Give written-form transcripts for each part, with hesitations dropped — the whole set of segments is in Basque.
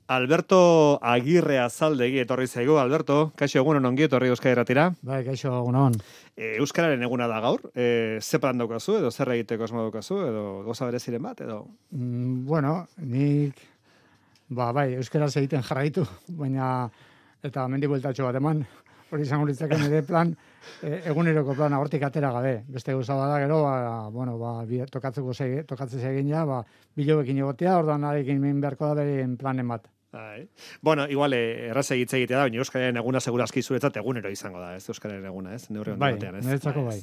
Alberto Agirre Azaldegi etorri zaigu. Alberto, kaixo egunon ongi etorri Euskadi Irratira. Bai, kaixo egunon. Euskararen eguna da gaur. Ze plan daukazu edo zer egiteko asmo daukazu edo goza bereziren bat edo? Bueno, nik bai, euskaraz egiten jarraitu, baina eta mendi bueltatxo bat eman. Hori izango litzake nire plan, eguneroko plana hortik atera gabe. Beste gauza bada gero, tokatzen egin ja, bilobekin egotea, orduan arekin min beharko da beren planen bat. Bueno, igual erraza hitz egitea da, baina Euskararen eguna segurazki zuretzat egunero izango da, ez Euskararen eguna, ez? Neurri honen batean, ez? Niretzako bai.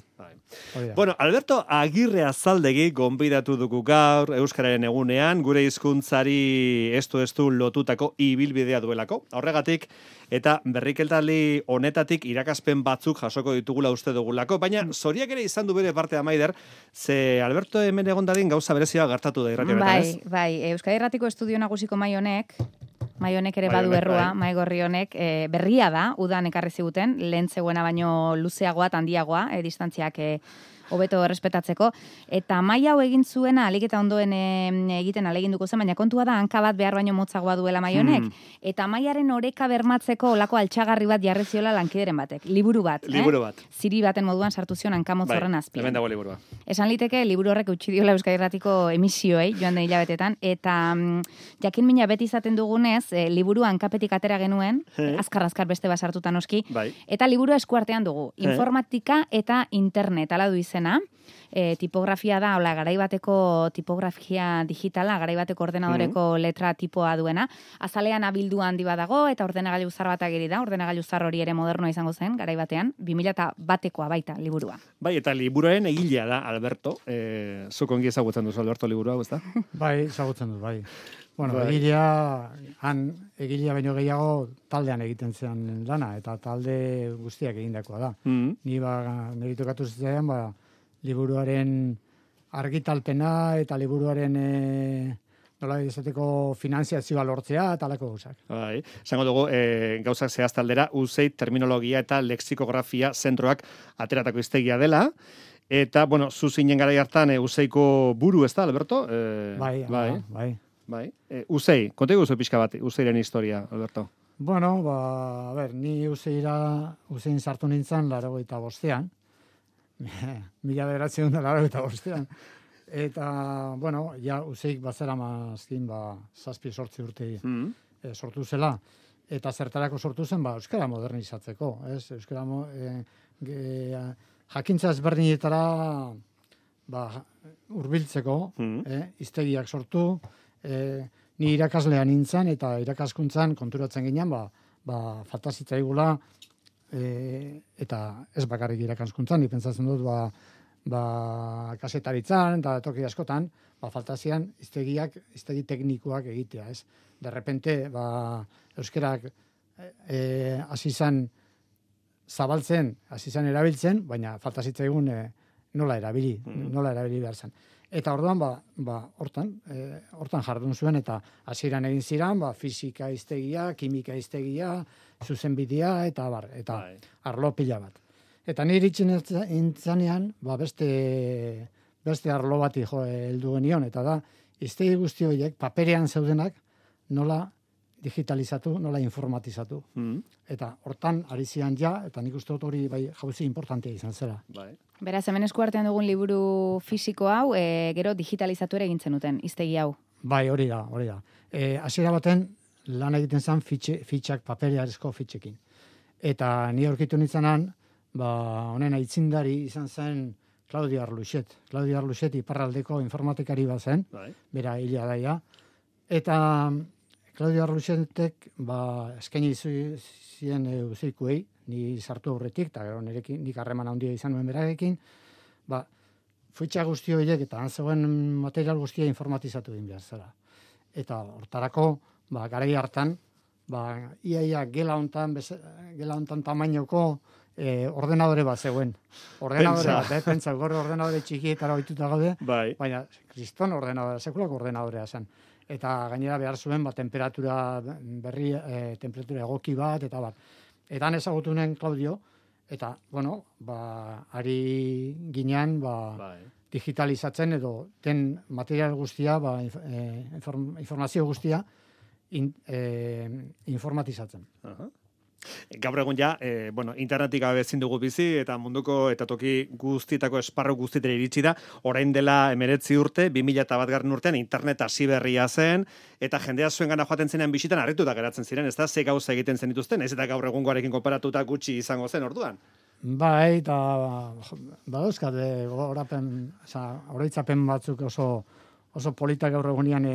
Bueno, Alberto Agirre Azaldegi gonbidatu dugu gaur Euskararen egunean, gure hizkuntzari estu lotutako ibilbidea duelako. Horregatik, eta berrikeltali honetatik irakaspen batzuk jasoko ditugula uste dugulako, baina zoriak ere izan du bere parte Maider, ze Alberto hemen egon dadin gauza berezia gertatu da irrati honetan, ez? Bai, Euskadi Irratiko estudio nagusiko Maionek ere badu errua, Maigorri honek, berria da, udan ekarri ziguten, lehen zegoena baino luzeagoa, handiagoa, distantziak hobeto errespetatzeko, eta mai hau egin zuena alik eta ondoen egiten aleginduko zen, baina kontua da hanka bat behar baino motzagoa duela mai honek, eta maiaren oreka bermatzeko olako altxagarri bat jarri ziola lankideren batek, liburu bat. Ziri baten moduan sartu zion hanka motzorren azpian. Hemen dago liburua. Esan liteke, liburu horrek utzi diola Euskadi Irratiko emisioei, joan den hilabetetan, eta jakin mina beti izaten dugunez, liburua hankapetik atera genuen, azkar beste basartutan oski, eta liburua eskuartean dugu, informatika eta internet, ala du izena, tipografia da, hola, garaibateko tipografia digitala, garaibateko ordenadoreko letra tipoa duena, azalean abildu handi badago, eta ordenagailu zar bat ageri da, ordenagailu zar hori ere modernoa izango zen, garaibatean, 2001koa baita liburua. Bai, eta liburuaren egilea da, Alberto, zuk ongi ezagutzen duzu, Alberto, liburua, ez da? Bai, ezagutzen duz, bai. Bueno, egilea baino gehiago taldean egiten zen lana, eta talde guztiak egindakoa da. Ni niri tokatu zitzaidan, liburuaren argitalpena eta liburuaren nola izateko finanziazioa lortzea eta alako gauzak. Bai, esango dugu gauzak zehaztaldera USAID terminologia eta lexikografia zentroak ateratako hiztegia dela. Eta, bueno, zu zinen garai hartan USAIDko buru, ez da, Alberto? Bai. USAID, konta guzu pixka bat, USAIDren historia, Alberto. Bueno, ni USAIDin sartu nintzen 85ean. 1985ean. Eta, bueno, USAID bazera mazkin, 7-8 urte sortu zela. Eta zertarako sortu zen, euskara modernizatzeko. Euskara jakintza ezberdinetara hurbiltzeko, hiztegiak sortu, ni irakaslean nintzen, eta irakaskuntzan konturatzen ginen, falta zitzaigula, eta ez bakarrik irakaskuntzan, ni pentsatzen dut, kasetaritzan, eta toki askotan, falta zian hiztegi teknikoak egitea, ez? De repente, euskerak hasi zan zabaltzen, hasi zan erabiltzen, baina falta zitzaigun nola erabili behar zen. Eta orduan, hortan jardun zuen, eta hasieran egin ziren, fisika hiztegia, kimika hiztegia, zuzenbidea, eta arlo pila bat. Eta nire itxin intzanean, beste arlo bati heldu genion, eta da, hiztegi guzti horiek, paperean zeudenak, nola digitalizatu, nola informatizatu. Eta hortan ari zian eta nik uste dut hori jauzi importantea izan zela. Beraz, hemen eskuartean dugun liburu fisiko hau, gero digitalizatu ere egintzen duten, hiztegi hau. Bai, hori da. Hasiera baten lan egiten zen fitxak, paperearezko fitxekin. Eta ni aurkitu nintzenan, honen aitzindari izan zen Claudio Arluxet. Claudio Arluxet iparraldeko informatikari bat zen, bera hila daia. Eta Claudio Arluxetek eskaini zien USAIDkuei, ni sartu aurretik, eta gero nik harreman handia izan nuen berarekin, fitxa guzti horiek eta zegoen material guztia informatizatu egin behar zela. Eta hortarako, garai hartan, iaia gela hontan tamainoko ordenadore bat zegoen. Ordenadore bat, pentsa, gorre ordenadore txikietara ohituta gaude, baina kriston ordenadore, sekulako ordenadorea zen. Eta gainera behar zuen, temperatura egoki bat, eta bat. Eta han ezagutu nuen Claudio, eta, ari ginean, digitalizatzen edo den material guztia, informazio guztia, informatizatzen. Gaur egun ja, internetik gabe ezin dugu bizi, eta munduko eta toki guztietako esparru guztietera iritsi da, orain dela 19 urte, 2001 urtean internet hasi berria zen, eta jendea zuen gana joaten zenean bisitan harrituta geratzen ziren, ez da, ze gauza egiten zen dituzten, ez eta gaur egungoarekin konparatuta gutxi izango zen orduan. Bai, eta badauzkat, oroitzapen batzuk oso polita gaur egunean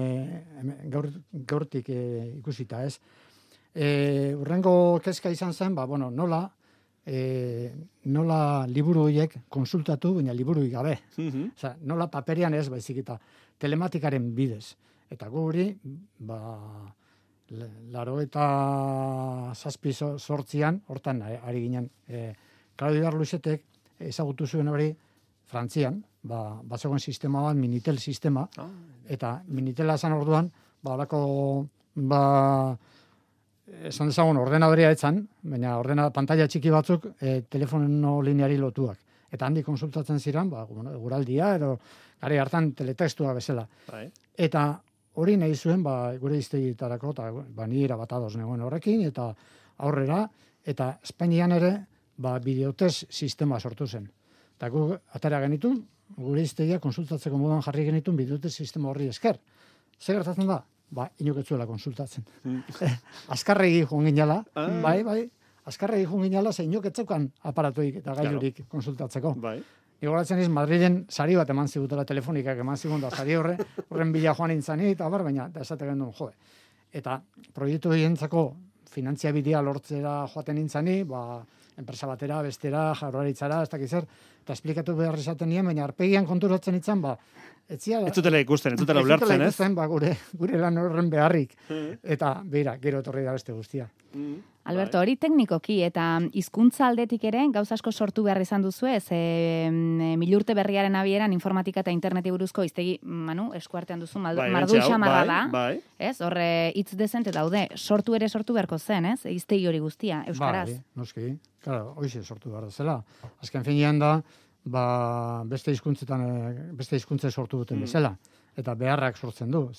gaurtik ikusita, ez? Urrengo kezka izan zen, nola liburu horiek konsultatu, baina liburuik gabe. Nola paperian ez, baizik eta telematikaren bidez. Eta guri, 87 hortan ari ginen, Claudio Arluxetek ezagutu zuen hori Frantzian, bazegoen sistema bat, Minitel sistema, eta Minitela esan orduan, esan dezagun ordenadorea etzan, baina pantalla txiki batzuk telefono lineari lotuak. Eta handi konsultatzen ziren, guraldia, edo gari hartan teletextua bezala. Eta hori nahi zuen, gure iztegietarako, eta ni erabat ados negoen horrekin, eta aurrera, eta Espainian ere, bideotez sistema sortu zen. Eta gu atera genitun, gure iztegia konsultatzeko moduan jarri genitun bideotez sistema horri esker. Zer gertatzen da? Inoketzuela konsultatzen. Azkarregi joan ginala, bai, azkarregi joan ginala, ze inoketzeukan aparatuik eta gailurik konsultatzeko. Igoratzen iz, Madriden sari bat eman zigutela telefonikak eman zigun da, sari horren bila joan intzani, eta baina, da esate gendun, Eta proiektu egientzako finantziabidea lortzera joaten intzani, enpresa batera, bestera, Jaurlaritzara, ez dakiz zer, eta esplikatu behar izaten nien, baina arpegian konturatzen itzan, ez zutela ikusten, ez zutela ulertzen, ez? Gure lan horren beharrik. Eta, beira, gero etorri da beste guztia. Alberto, hori teknikoki eta hizkuntza aldetik ere gauza asko sortu behar izan duzu, ez? Milurte berriaren abieran informatika eta interneti buruzko hiztegi, eskuartean duzu, mardu xamarra da, ez? Horre hitz dezente daude, sortu beharko zen, ez? Hiztegi hori guztia, euskaraz. Noski, claro, hoize sortu behar zela. Azken finean da, beste hizkuntze sortu duten bezala. Eta beharrak sortzen du,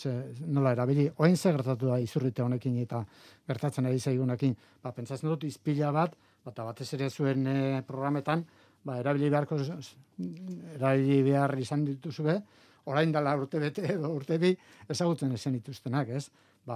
nola erabili. Oain ze gertatu da izurrite honekin eta gertatzen ari zaigunekin. Pentsatzen dut izpila bat, batez ere zuen programetan, erabili behar izan dituzue, orain dela urte bete edo urte bi ezagutzen ezen dituztenak, ez?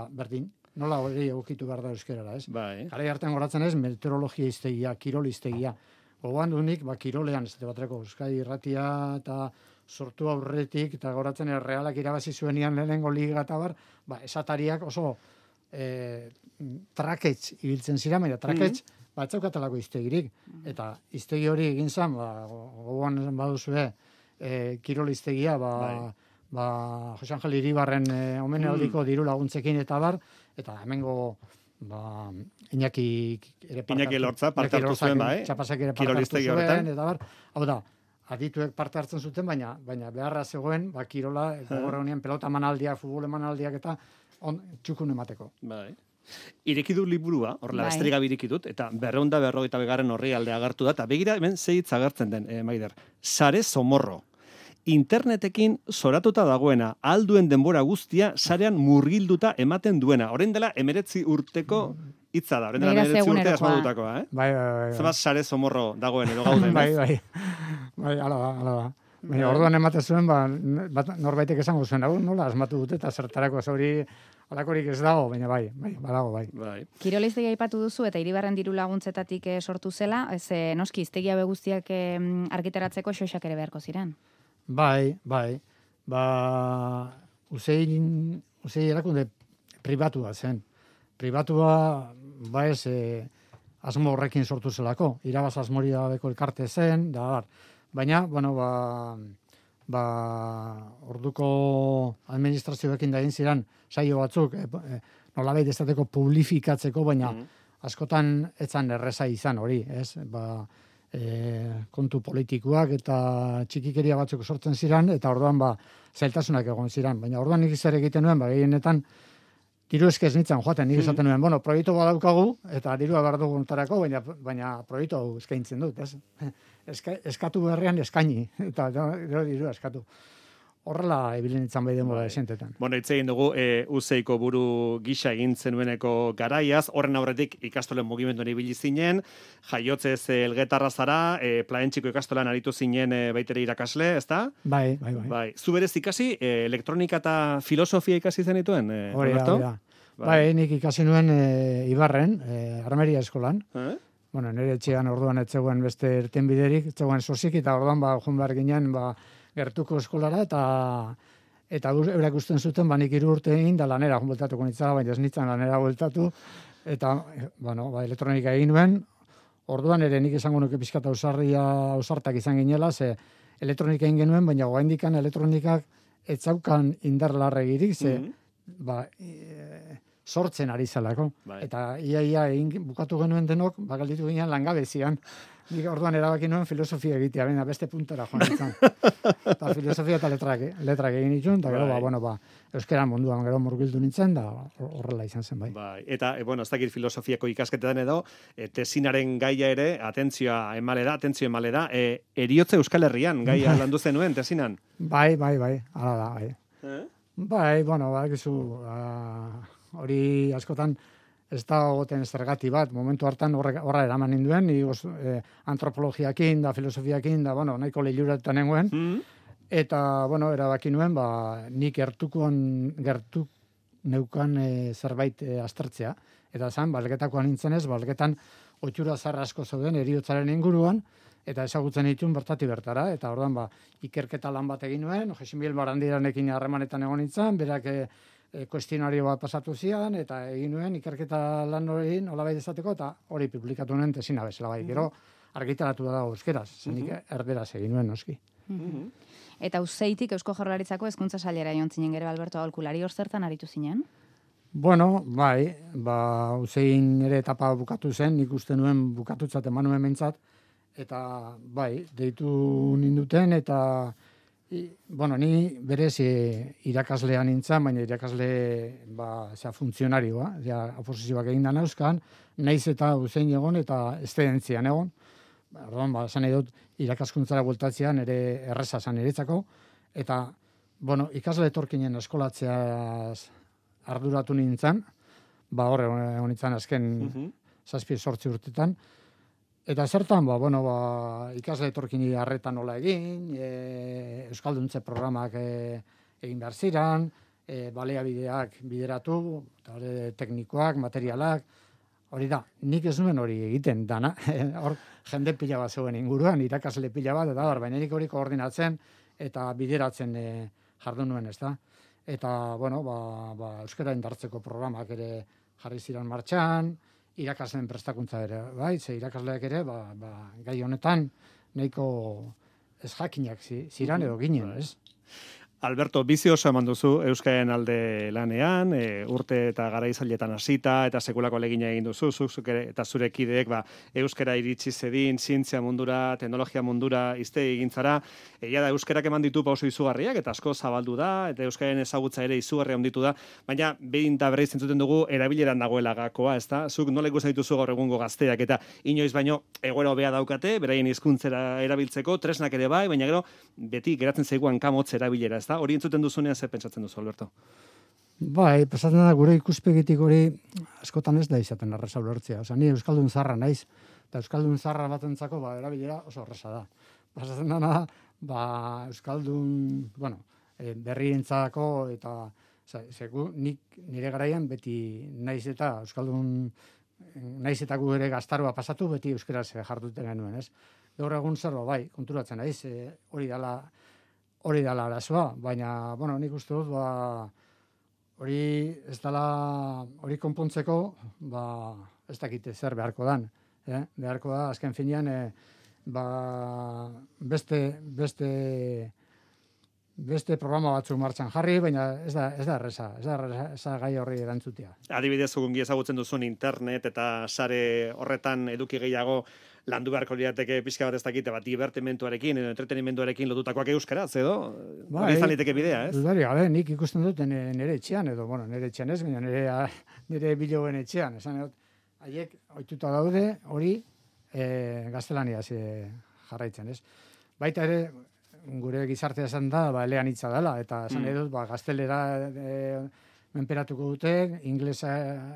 Berdin, nola hori egokitu behar da euskerara, ez? Garai hartan goratzen ez, meteorologia iztegia, kirol iztegia. Gogoan dunik, kirolean, ez batreko, Euskadi Irratia eta sortu aurretik, eta goratzen Realak irabazi zuenian lehenengo liga eta esatariak oso traketz ibiltzen ziren, baina traketz batzaukatelako iztegirik. Eta iztegi hori egin zen, gogoan baduzue, kirol iztegia, Jose Angel Iribarren omenaldiko diru laguntzekin eta eta hemengo Iñaki Lortza parte hartu zuen, Txapasak ere parte hartu zuen, eta hau da, adituek parte hartzen zuten, baina beharra zegoen, kirola, horrenean pelota emanaldiak, futbol emanaldiak eta txukun emateko. Ireki du liburua, horrela besterik gabe ireki dut, eta 250 horri alde agertu da, eta begira hemen ze hitz agertzen den, Maider. Sare Zomorro. Internetekin zoratuta dagoena, alduen denbora guztia, sarean murgilduta ematen duena. Orain dela 19 urteko hitza da. Orain dela 19 urte asmatutakoa, Bai. Zemaz Sare Zomorro dagoen edo gauden, ez? Bai, ala da. Baina orduan ematen zuen, norbaitek esango zuen, nola asmatu dute, eta zertarako hori alakorik ez dago, baina badago, bai. Kirol iztegia aipatu duzu, eta Iribarren diru laguntzetatik sortu zela, noski iztegia guztiak argitaratzeko xoxak ere beharko ziren. Bai. Uzei erakunde pribatua zen. Pribatua, ez, asmo horrekin sortu zelako. Irabaz asmori dabeko elkarte zen, baina, orduko administrazioekin da egin ziren saio batzuk, nolabait estateko publifikatzeko, baina askotan etzan erreza izan hori, ez? Kontu politikoak eta txikikeria batzuk sortzen ziren, eta orduan zailtasunak egon ziren. Baina orduan nik zer egiten nuen, gehienetan diru eskez nintzen joaten, nik esaten nuen, proiektu badaukagu, eta dirua behar duguntarako, baina proiektu hau eskaintzen dut, ez? Eskatu beharrean eskaini, eta dirua eskatu. horrela ebilen itzan bai denbora esentetan. Bueno, hitz egin dugu Useiko buru gisa egin zenueneko garaiaz, horren aurretik ikastolen mugimenduan ibili zinen, jaiotzez Elgetarra zara, Plaentxiko ikastolan aritu zinen baitere irakasle, ezta? Bai. Zu berez ikasi, elektronika eta filosofia ikasi zenituen, Alberto? Hori da. Bai, nik ikasi nuen Ibarren, Armeria eskolan. Bueno, nire etxean orduan etzegoen beste irtenbiderik, etzegoen sosik, eta orduan joan behar ginen, gertuko eskolara, eta eurak usten zuten, nik 3 urte egin, da lanera bueltatuko nitzala, baina ez nintzen lanera bueltatu, eta, elektronika egin nuen, orduan ere nik esango nuke pizkata ausartak izan ginela, ze elektronika egin genuen, baina goaindikan elektronikak etzaukan indar larregirik, ze, sortzen ari zelako. Eta ia bukatu genuen denok, galditu ginen langabezian. Nik orduan erabaki nuen filosofia egitea, beste puntera joan ditzen. Eta filosofia eta letrak egin ditun, eta gero, euskera munduan gero murgildu nintzen, da horrela izan zen, bai. Eta, ez dakit filosofiako ikasketetan edo, tesinaren gaia ere, atentzio emale da, eriotze Euskal Herrian gaia landu zenuen, tesinan? Bai, hala da, bai. Bai, gizu, hori askotan ez da goten zergati bat, momentu hartan horra eraman ninduen, antropologiakin da, filosofiakin da, nahiko lehiuratetan nengoen, eta, erabaki nuen, nik gertu neukan zerbait aztertzea, eta zan, balgetakoan nintzen ez, balgetan otxura zarra asko zeuden eriotzaren inguruan, eta ezagutzen ditun bertati bertara, eta orduan ikerketa lan bat egin nuen, Jesimil Barandiranekin harremanetan egon nintzen, berak kuestionario bat pasatu zian, eta egin nuen ikerketa lan hori nolabait izateko, eta hori publikatu nuen tesina bezala bai. Gero argitaratu da euskeraz, zenik erderaz egin nuen noski. Eta Useitik Eusko Jaurlaritzako hezkuntza sailera joan zinen gero, Alberto Aholkulari, hor zertan aritu zinen? Bueno, bai, Usein ere etapa bukatu zen, nik uste nuen bukatutzat eman nuen mentzat, eta bai, deitu ninduten, eta ni berez irakaslean nintzen, baina irakasle funtzionarioa, oposizioak egin da nauzkan, naiz eta Usein egon eta estedentzian egon. Orduan, esan nahi dut, irakaskuntzara bueltatzean ere erreza zan niretzako, eta, ikasle etorkinen eskolatzea arduratu nintzen, horre egon nintzen azken 7-8 urtetan, eta zertan, ikasle etorkini harretan nola egin, Euskalduntze programak egin behar ziren, baliabideak bideratu, teknikoak, materialak, hori da, nik ez nuen hori egiten dana, hor jende pila bat zeuen inguruan, irakasle pila bat, eta baina nik hori koordinatzen eta bideratzen jardun nuen, ez da. Eta, euskara indartzeko programak ere jarri ziren martxan, irakasleen prestakuntza ere, bai, ze irakasleak ere, gai honetan nahiko ez jakinak ziran edo ginen, ez? Alberto, bizi oso eman duzu Euskararen alde lanean, urte eta garaizailetan hasita eta sekulako ahalegina egin duzu, zuk eta zure kideek euskara iritsi zedin, zientzia mundura, teknologia mundura izte egintzara. Egia da euskarak eman ditu pauso izugarriak eta asko zabaldu da, eta Euskararen ezagutza ere izugarria handitu da, baina behin eta berriz entzuten dugu erabileran dagoela gakoa, ezta? Zuk nola ikusten dituzu gaur egungo gazteak eta inoiz baino egoera hobea daukate, beraien hizkuntzera erabiltzeko, tresnak ere bai, baina gero beti geratzen zaiguan kamotz erabilera, ezta? Hori entzuten duzunean zer pentsatzen duzu, Alberto? Bai, pasatzen da gure ikuspegitik hori askotan ez da izaten erreza ulertzea. Osa, ni euskaldun zarra naiz, eta euskaldun zarra batentzako erabilera oso erreza da. Pasatzen da, euskaldun, berrientzako eta nik nire garaian beti naiz eta euskaldun naiz eta gu ere gaztaroa pasatu beti euskaraz jarduten genuen, ez? Gaur egun zerba bai, konturatzen naiz, hori dela arazoa, baina, nik uste dut, hori ez dela, hori konpontzeko, ez dakite zer beharko dan. Beharko da, azken finean, beste programa batzuk martxan jarri, baina ez da erreza, ez da gai horri erantzutea. Adibidez, zugungi ezagutzen duzun internet eta sare horretan eduki gehiago landu beharko lirateke pixka bat ez dakite, divertimentuarekin edo entretenimenduarekin lotutakoak euskaraz, edo? Hori izan liteke bidea, ez? Dudari, nik ikusten dut nire etxean, edo, nire etxean ez, baina nire biloen etxean, esan dut, haiek ohituta daude hori gaztelaniaz jarraitzen, ez? Baita ere, gure gizartea esan da, eleanitza dela, eta esan edut, gaztelera menperatuko dute, inglesa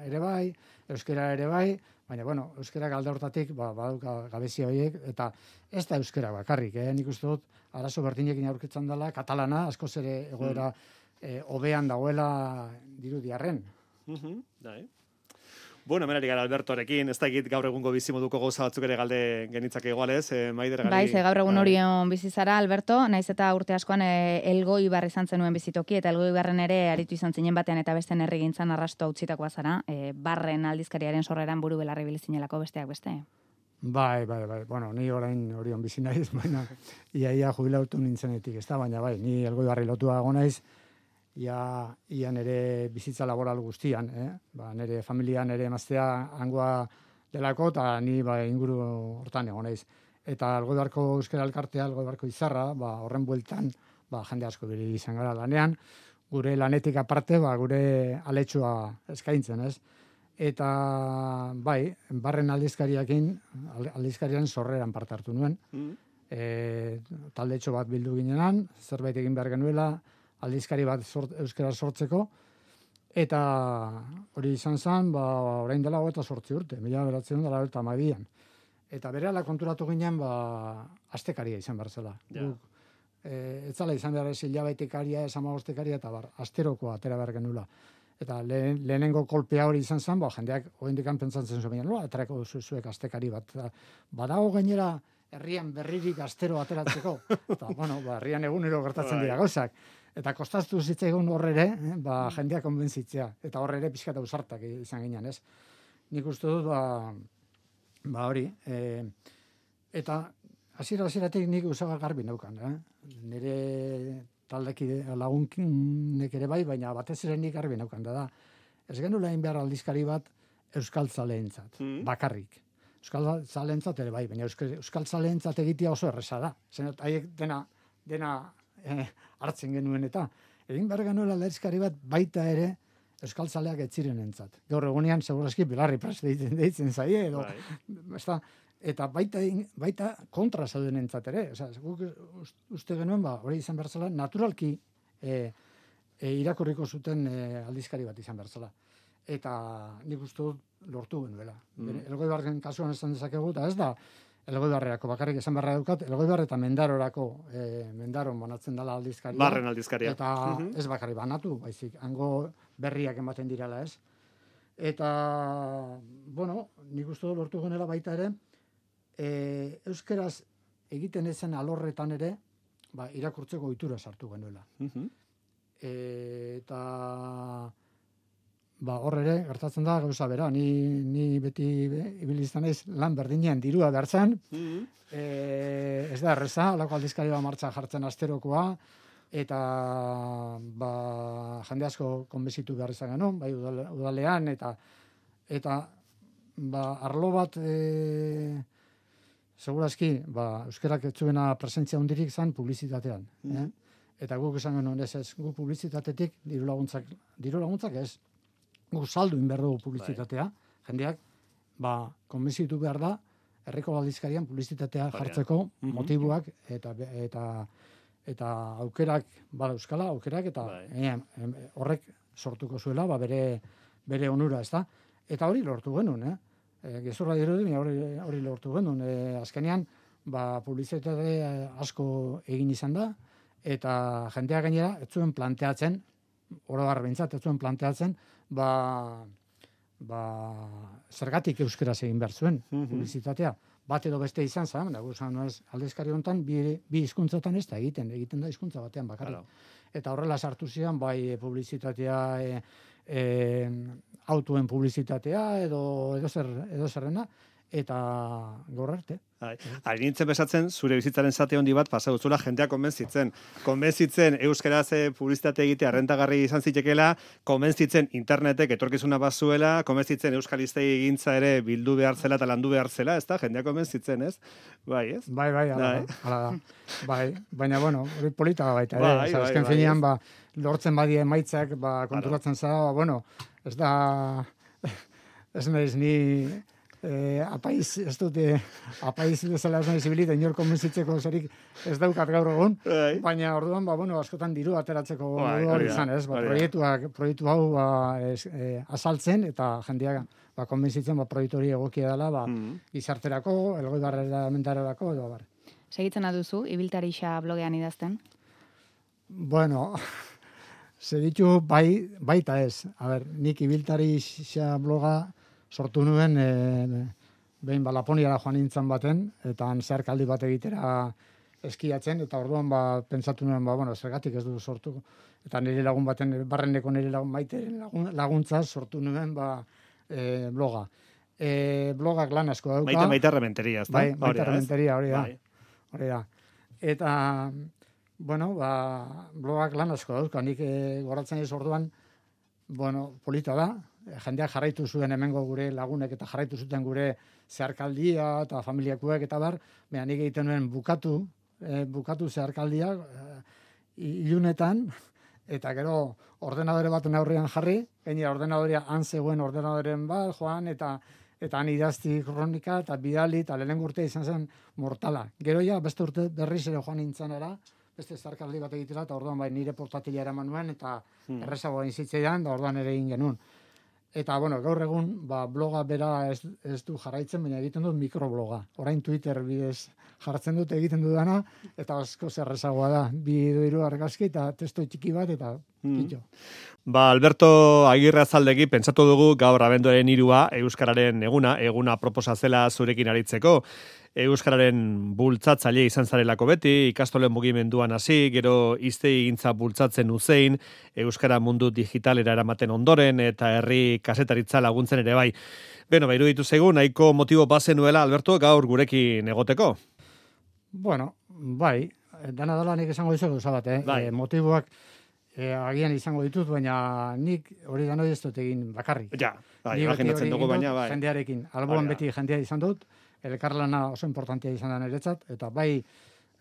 ere bai, euskera ere bai, baina, bueno, euskera alde hortatik, baduka gabezia horiek, eta ez da euskera bakarrik, nik uste dut, arazo berdinekin aurkitzen dela, katalana, askoz ere egoera hobean dagoela dirudiarren. Bueno, menari gara Albertorekin, ez da egit gaur egungo bizimoduko gauza batzuk ere galde genitzake igualez, Maider gari. Bai, gaur egun orion bizizara, Alberto, naiz eta urte askoan Elgoi Bar izan zenuen bizitoki, eta Elgoi Barren ere aritu izan zinen batean eta beste herrigintzan arrasto utzitakoa zara, Barren aldizkariaren sorreran buru belarri bilizinelako besteak beste. Bai. Bueno, ni orain orion bizi naiz, baina ia jubilatu nintzenetik, ez da, baina bai, ni Elgoi Barri lotua egon naiz, ia nire bizitza laboral guztian, nire familia, nire emaztea hangoa delako, eta ni inguru hortan egon naiz. Eta Elgoi Barko euskara elkartea, Elgoi Barko izarra, horren bueltan, jende asko biri izan gara lanean, gure lanetik aparte, gure aletxoa eskaintzen, ez? Eta, bai, Barren aldizkarian sorreran parte hartu nuen, taldetxo bat bildu ginenan, zerbait egin behar genuela, aldizkari bat euskara sortzeko, eta hori izan zen, orain dela 28 urte, 1992an. Eta berehala konturatu ginen, astekaria izan behar zela. Ez zala izan behar ez hilabetekaria, ez 15-tekaria, eta asterokoa atera behar genuela. Eta lehenengo kolpea hori izan zen, jendeak oindikan pentsatzen zuen, aterako duzu zuek astekari bat. Badago gainera herrian berririk astero ateratzeko. Eta, herrian egunero gertatzen dira gauzak. Eta kostaztu zitzaigun horrere, jendeak konbentzitzea. Eta horrere pixkata usartak izan ginen, ez? Nik uste dut, hori. Eta hasieratik nik usaga garbi neukan, nire taldeki lagunek ere bai, baina batez ere nik garbi neukan da. Ez genula egin behar aldizkari bat euskaltzaleentzat, bakarrik. Euskaltzaleentzat ere bai, baina euskaltzaleentzat egitea oso erresa da. Zenot, haiek dena hartzen genuen eta egin behar genuela aldizkari bat baita ere euskaltzaleak etziren entzat. Gaur egunean, segurazki, Belarri Prest deitzen zaie, edo, eta baita kontra zauden entzat ere. Guk uste genuen, hori izan behar zela, naturalki irakurriko zuten aldizkari bat izan behar zela. Eta nik uste lortu genuela. Elgoi Barren kasuan esan dezakegu, eta ez da, Elgoi Barrerako bakarrik esan beharra daukat, Elgoi Barre eta Mendarorako, Mendaron banatzen dela aldizkaria. Barren aldizkaria. Eta ez bakarrik banatu, baizik, hango berriak ematen direla, ez? Eta, nik uste lortu genela baita ere, euskeraz egiten ezen alorretan ere, irakurtzeko ohitura sartu genuela. Eta hor ere, gertatzen da, gauza bera, ni beti ibiliztan ez lan berdinean dirua behartzen, ez da erreza, alako aldizkari bat martxa jartzen asterokoa, eta jende asko konbezitu behar izan genuen, bai udalean, eta arlo bat, segurazki, euskerak etzuena presentzia hundirik zan publizitatean. Eta guk esan genuen ez, guk publizitatetik diru laguntzak ez, guk saldu inber dugu publizitatea, jendeak, konbenzitu behar da, herriko aldizkarian publizitatea jartzeko motibuak eta aukerak, euskala aukerak, eta horrek sortuko zuela, bere onura, ez da? Eta hori lortu genuen, gezurra dirudi, hori lortu genuen. Azkenean, publizitate asko egin izan da, eta jendeak gainera, ez zuen planteatzen, oroar behintzat, ez zuen planteatzen, zergatik euskeraz egin behar zuen publizitatea. Bat edo beste izan zen, aldizkari honetan, bi hizkuntzatan ez da egiten da hizkuntza batean bakarrik. Eta horrela sartu zian, bai publizitatea, autoen publizitatea, edo zerrena, eta gaur arte. Ari nintzen besatzen, zure bizitzaren zate handi bat pasa dutzula jendeak konbentzitzen euskaraz publizitate egitea rentagarri izan zitekeela, konbentzitzen internetek etorkizuna bazuela, konbentzitzen euskalistei egintza ere bildu behar zela eta landu behar zela, ez da? Jendeak konbentzitzen, ez? Bai, ez? Bai, hala da. Baina, hori polita baita, azken finean, lortzen badie emaitzak, konturatzen zara, ez da, ez naiz ni apaiz, ez dute, apaiz bezala ez nahi zibilit, inor konbentzitzeko zerik ez daukat gaur egun, baina orduan, askotan diru ateratzeko hori izan, ez? Proiektu hau azaltzen, eta jendeak konbentzitzen proiektu hori egokia dela, gizarterako, elgoibarrera mentarerako, edo bar. Segitzen aduzu, Ibiltarixa blogean idazten? Bueno, segitu baita ez. A ber, nik Ibiltarixa bloga sortu nuen, behin Laponiara joan nintzen baten, eta zeharkaldi bat egitera eskiatzen, eta orduan pentsatu nuen, zergatik ez du sortu. Eta nire lagun baten, barreneko nire lagun maite laguntza sortu nuen bloga. Blogak lan asko dauka. Maite Rementeria, ez da? Maite Rementeria, hori da. Eta, blogak lan asko dauka. Nik goratzen ez orduan, polita da. Jendeak jarraitu zuen hemengo gure lagunek eta jarraitu zuten gure zeharkaldia eta familiakuek eta bar. Nik egiten nuen bukatu zeharkaldiak ilunetan, eta gero ordenadore baten aurrean jarri, gainera ordenadorea han zegoen ordenadoren bat, joan, eta han idazti kronika, eta bidali, eta lehenengo urte izan zen mortala. Gero beste urte berriz ere joan nintzen beste zeharkaldi bat egitera, eta orduan nire portatila eraman nuen, eta errezagoa inzitzeidan, da orduan ere egin genuen. Eta, gaur egun, bloga bera ez du jarraitzen, baina egiten dut mikrobloga. Orain Twitter bidez jartzen dut egiten dudana, eta asko zerrezagoa da. 2-3 argazki eta testo txiki bat, eta kitxo. Alberto Agirre Azaldegi, pentsatu dugu gaur abenduaren 3 Euskararen eguna proposa zela zurekin aritzeko. Euskararen bultzatzaile izan zarelako beti, ikastolen mugimenduan hasi, gero hiztegintza bultzatzen uzein, Euskara mundu digitalera eramaten ondoren, eta herri kasetaritza laguntzen ere bai. Iruditu zaigu, nahiko motibo bazenuela, Alberto, gaur gurekin egoteko? Dana dela nik esango dizugu zabat, motiboak agian izango ditut, baina nik hori danoi ez dut egin bakarrik. Imaginatzen dugu baina, bai. Jendearekin, alboan beti jendea izan dut, elkarlana oso importantia izan da niretzat, eta bai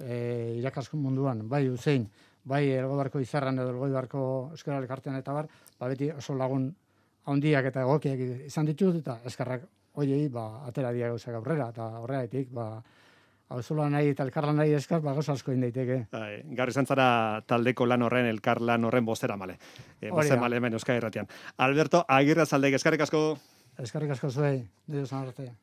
irakaskun munduan, bai uzein, bai Elgoibarko Izarran edo Elgoibarko Euskara Elkartean eta bar, beti oso lagun handiak eta egokiak izan ditut, eta eskerrak hoiei atera dira gauzak aurrera, eta horregatik, hauzola nahi eta elkarlan nahi eskar, gauza asko indaiteke. Gaur izan zara taldeko lan horren, elkarlan horren bozera male. Bozera male hemen Euskadi Irratian. Alberto Agirre Azaldegi, eskerrik asko. Eskerrik asko zuei, nire zan artea.